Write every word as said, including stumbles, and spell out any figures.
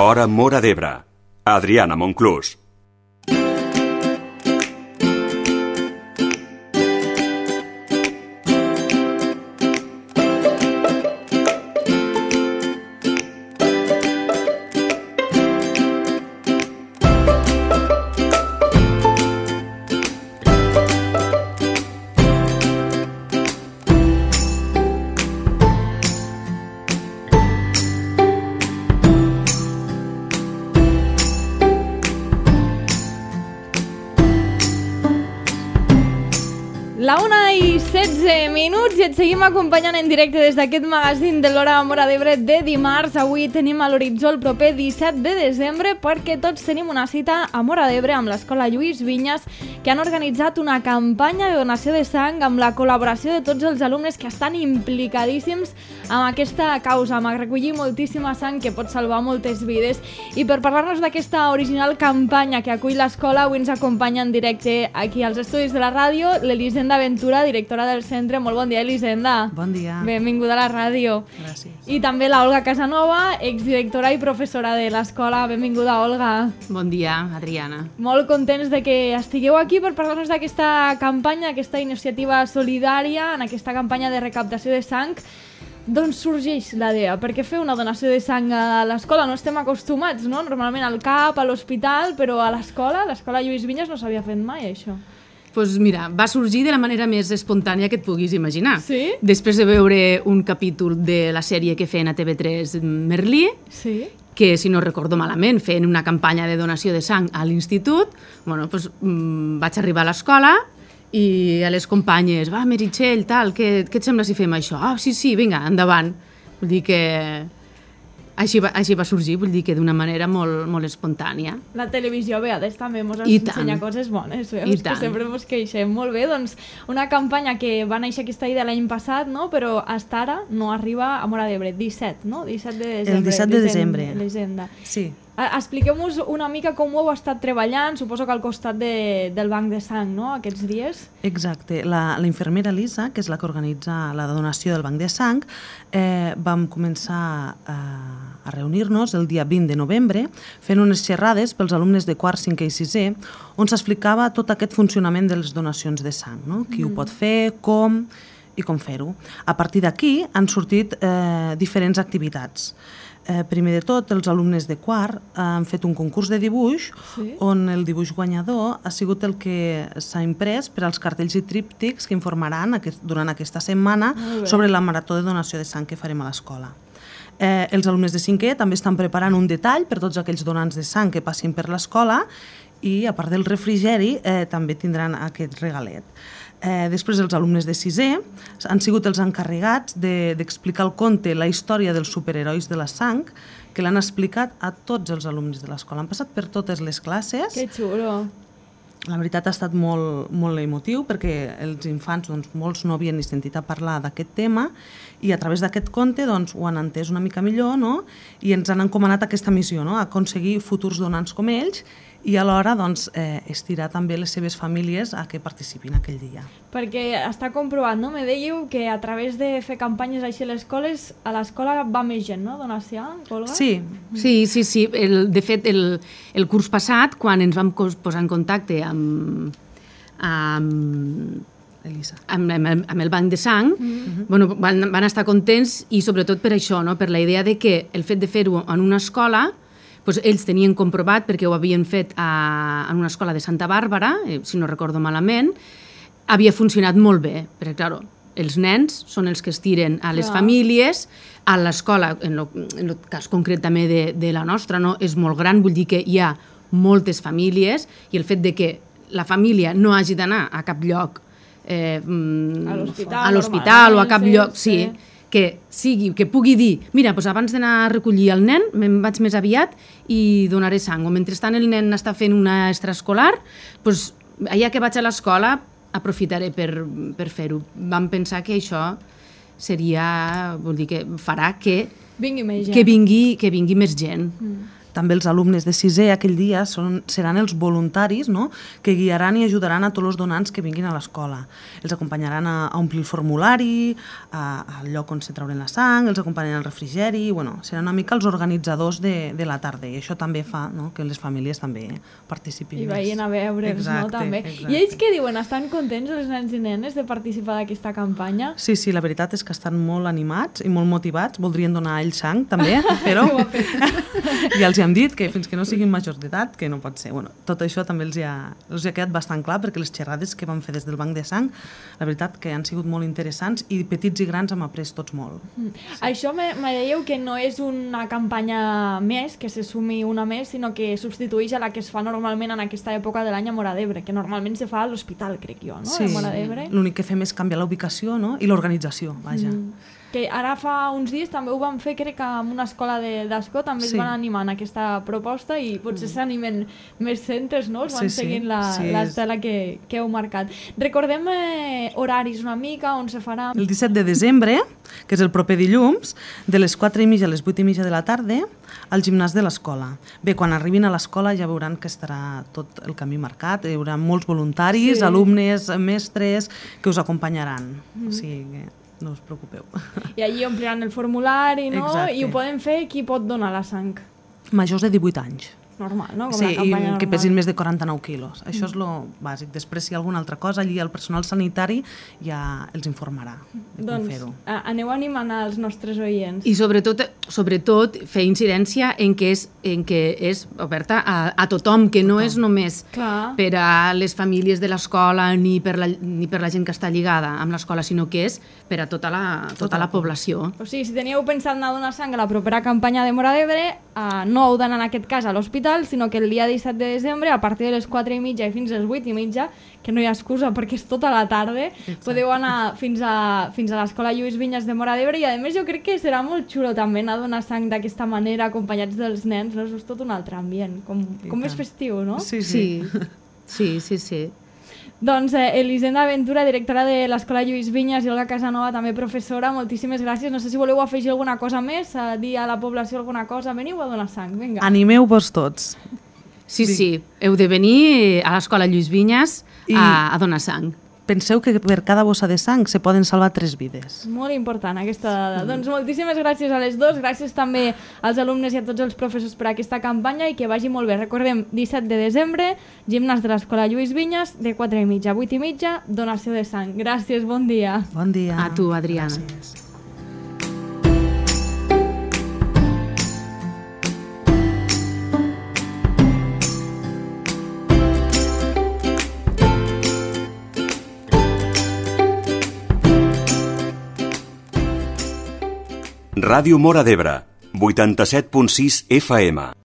Hora Móra d'Ebre. Adriana Monclús. La una i setze minuts i et seguim acompanyant en directe des d'aquest magazín de l'Hora Móra d'Ebre de dimarts. Avui tenim a l'horitzó el proper disset de desembre perquè tots tenim una cita a Móra d'Ebre amb l'Escola Lluís Vinyes, que han organitzat una campanya de donació de sang amb la col·laboració de tots els alumnes que estan implicadíssims amb aquesta causa, amb recollir moltíssima sang que pot salvar moltes vides. I per parlar-nos d'aquesta original campanya que acull l'escola, avui ens acompanya en directe aquí als estudis de la ràdio l'Elisenda Ventura, directora del centre. Molt bon dia, Elisenda. Bon dia. Benvinguda a la ràdio. Gràcies. I també la Olga Casanova, exdirectora i professora de l'escola. Benvinguda, Olga. Bon dia, Adriana. Molt contents de que estigueu aquí per parlar-nos d'aquesta campanya, aquesta iniciativa solidària, en aquesta campanya de recaptació de sang. D'on sorgeix la idea? Per què fer una donació de sang a l'escola? No estem acostumats, no? Normalment al C A P, a l'hospital, però a l'escola, a l'escola Lluís Vinyes no s'havia fet mai, això. Doncs pues mira, va sorgir de la manera més espontània que et puguis imaginar. Sí? Després de veure un capítol de la sèrie que feien a T V tres Merlí, sí? que, si no recordo malament, feien una campanya de donació de sang a l'institut, bueno, pues, mmm, vaig arribar a l'escola i a les companyes, va, Meritxell, tal, què, què et sembla si fem això? Ah, sí, sí, vinga, endavant. Vull dir que així va, així va sorgir, vull dir que d'una manera molt, molt espontània. La televisió a vegades també ens I ensenya tant. coses bones, veus? I que tant. sempre ens queixem. Molt bé, doncs una campanya que va néixer aquesta idea l'any passat, no? Però fins ara no arriba a Móra d'Ebre. disset, no? disset de desembre. El disset de desembre. Elisenda. Sí. Expliqueu-nos una mica com ho heu estat treballant, suposo que al costat de, del banc de sang, no?, aquests dies. Exacte. La, la infermera Lisa, que és la que organitza la donació del banc de sang, eh, vam començar a, a reunir-nos el dia vint de novembre fent unes xerrades pels alumnes de quart, cinquè i sisè, on s'explicava tot aquest funcionament de les donacions de sang, no? Qui mm. ho pot fer, com i com fer-ho. A partir d'aquí han sortit eh, diferents activitats. Eh, primer de tot, els alumnes de quart han fet un concurs de dibuix, sí? On el dibuix guanyador ha sigut el que s'ha imprès per als cartells i tríptics que informaran aquest, durant aquesta setmana sobre la marató de donació de sang que farem a l'escola. Eh, els alumnes de cinquè també estan preparant un detall per tots aquells donants de sang que passin per l'escola i, a part del refrigeri, eh, també tindran aquest regalet. Eh, després els alumnes de sisè han sigut els encarregats d'explicar de, el conte, la història dels superherois de la sang, que l'han explicat a tots els alumnes de l'escola. Han passat per totes les classes. Que xulo! La veritat ha estat molt, molt emotiu perquè els infants, doncs, molts no havien ni sentit a parlar d'aquest tema i a través d'aquest conte doncs, ho han entès una mica millor, no? I ens han encomanat aquesta missió, no? Aconseguir futurs donants com ells i alhora doncs, eh, estirar també les seves famílies a que participin aquell dia. Perquè està comprovat, no? Me dèieu que a través de fer campanyes així a les escoles, a l'escola va més gent, no? Donar sang, Olga? Sí. Sí, sí, sí. El, de fet, el, el curs passat, quan ens vam posar en contacte amb, amb Elisa. Amb, amb, amb el banc de sang, mm-hmm. bueno, van, van estar contents i sobretot per això, no? Per la idea de que el fet de fer-ho en una escola, doncs ells tenien comprovat, perquè ho havien fet a, en una escola de Santa Bàrbara, eh, si no recordo malament, havia funcionat molt bé, perquè, clar, els nens són els que es tiren a les Clar. famílies, a l'escola, en el cas concret també de, de la nostra, no? És molt gran, vull dir que hi ha moltes famílies i el fet de que la família no hagi d'anar a cap lloc, eh, a l'hospital o a cap lloc, sí, sí. que sigui, que pugui dir, mira, doncs abans d'anar a recollir el nen, me'n vaig més aviat i donaré sang. O mentrestant el nen està fent una extraescolar, doncs allà que vaig a l'escola aprofitaré per, per fer-ho. Vam pensar que això seria, vol dir que farà que vingui més gent. Que vingui, que vingui més gent. Mm. també els alumnes de sisè aquell dia són, seran els voluntaris, no?, que guiaran i ajudaran a tots els donants que vinguin a l'escola. Els acompanyaran a, a omplir el formulari, a, al lloc on se trauran la sang, els acompanyaran al refrigeri, bueno, seran una mica els organitzadors de, de la tarda, i això també fa, no?, que les famílies també participin I més. vagin a veure'ls, no?, també. Exacte. I ells què diuen? Estan contents els nens i nenes de participar d'aquesta campanya? Sí, sí, la veritat és que estan molt animats i molt motivats, voldrien donar a ells sang també, però ja els hem dit que fins que no siguin majors d'edat, que no pot ser. Bueno, tot això també els ha, els ha quedat bastant clar, perquè les xerrades que vam fer des del banc de sang, la veritat que han sigut molt interessants i petits i grans hem après tots molt. Mm. Sí. Això me, me dèieu que no és una campanya més, que se sumi una més, sinó que substitueix a la que es fa normalment en aquesta època de l'any a Móra d'Ebre, que normalment se fa a l'hospital, crec jo, no? Sí, a Móra d'Ebre. L'únic que fem és canviar la ubicació, no?, i l'organització, vaja. Mm. Que ara fa uns dies també ho van fer, crec que en una escola d'Ascó també sí. es van animar en aquesta proposta i potser mm. s'animen més centres, no? Es van sí, sí. seguint la, sí, l'estela que, que heu marcat. Recordem eh, horaris una mica, on se farà... El disset de desembre, que és el proper dilluns, de les quatre i mitja a les vuit i mitja de la tarda, al gimnàs de l'escola. Bé, quan arribin a l'escola ja veuran que estarà tot el camí marcat, hi haurà molts voluntaris, sí. alumnes, mestres, que us acompanyaran. Mm. O sigui que no us preocupeu. I allí ompliran el formulari, no? Exacte. I ho poden fer qui pot donar la sang. Majors de divuit anys. Normal, no? Com sí, la campanya i normal. que pesin més de quaranta-nou quilos. Això és lo bàsic. Després, si hi ha alguna altra cosa, allí el personal sanitari ja els informarà de doncs, com fer-ho. Aneu animant als nostres oients. I sobretot, sobretot fer incidència en què és, en què és oberta a, a tothom, que no tothom. És només Clar. Per a les famílies de l'escola ni, per la, ni per la gent que està lligada amb l'escola, sinó que és per a tota la, tota tota la població. O sigui, si teníeu pensat anar a donar sang a la propera campanya de Móra d'Ebre, eh, no heu d'anar en aquest cas a l'hospital, sinó que el dia disset de desembre, a partir de les quatre i mitja i fins a les vuit i mitja, que no hi ha excusa perquè és tota la tarda, exacte. Podeu anar fins a, fins a l'escola Lluís Vinyes de Móra d'Ebre i a més jo crec que serà molt xulo també anar a donar sang d'aquesta manera acompanyats dels nens, no? És tot un altre ambient, com, com més festiu, no? Sí, sí. Sí, sí, sí. sí. Doncs eh, Elisenda Ventura, directora de l'Escola Lluís Vinyes, i Olga Casanova, també professora, moltíssimes gràcies. No sé si voleu afegir alguna cosa més, a dir a la població alguna cosa. Veniu a donar sang, vinga. Animeu-vos tots. Sí, sí, heu de venir a l'Escola Lluís Vinyes I... a, a donar sang. Penseu que per cada bossa de sang se poden salvar tres vides. Molt important aquesta dada. Mm. Doncs moltíssimes gràcies a les dues, gràcies també als alumnes i a tots els professors per aquesta campanya i que vagi molt bé. Recordem, disset de desembre, gimnàs de l'Escola Lluís Vinyes, de quatre i mitja a vuit i mitja, donació de sang. Gràcies, bon dia. Bon dia. A tu, Adriana. Gràcies. Ràdio Móra d'Ebre, vuitanta-set punt sis F M.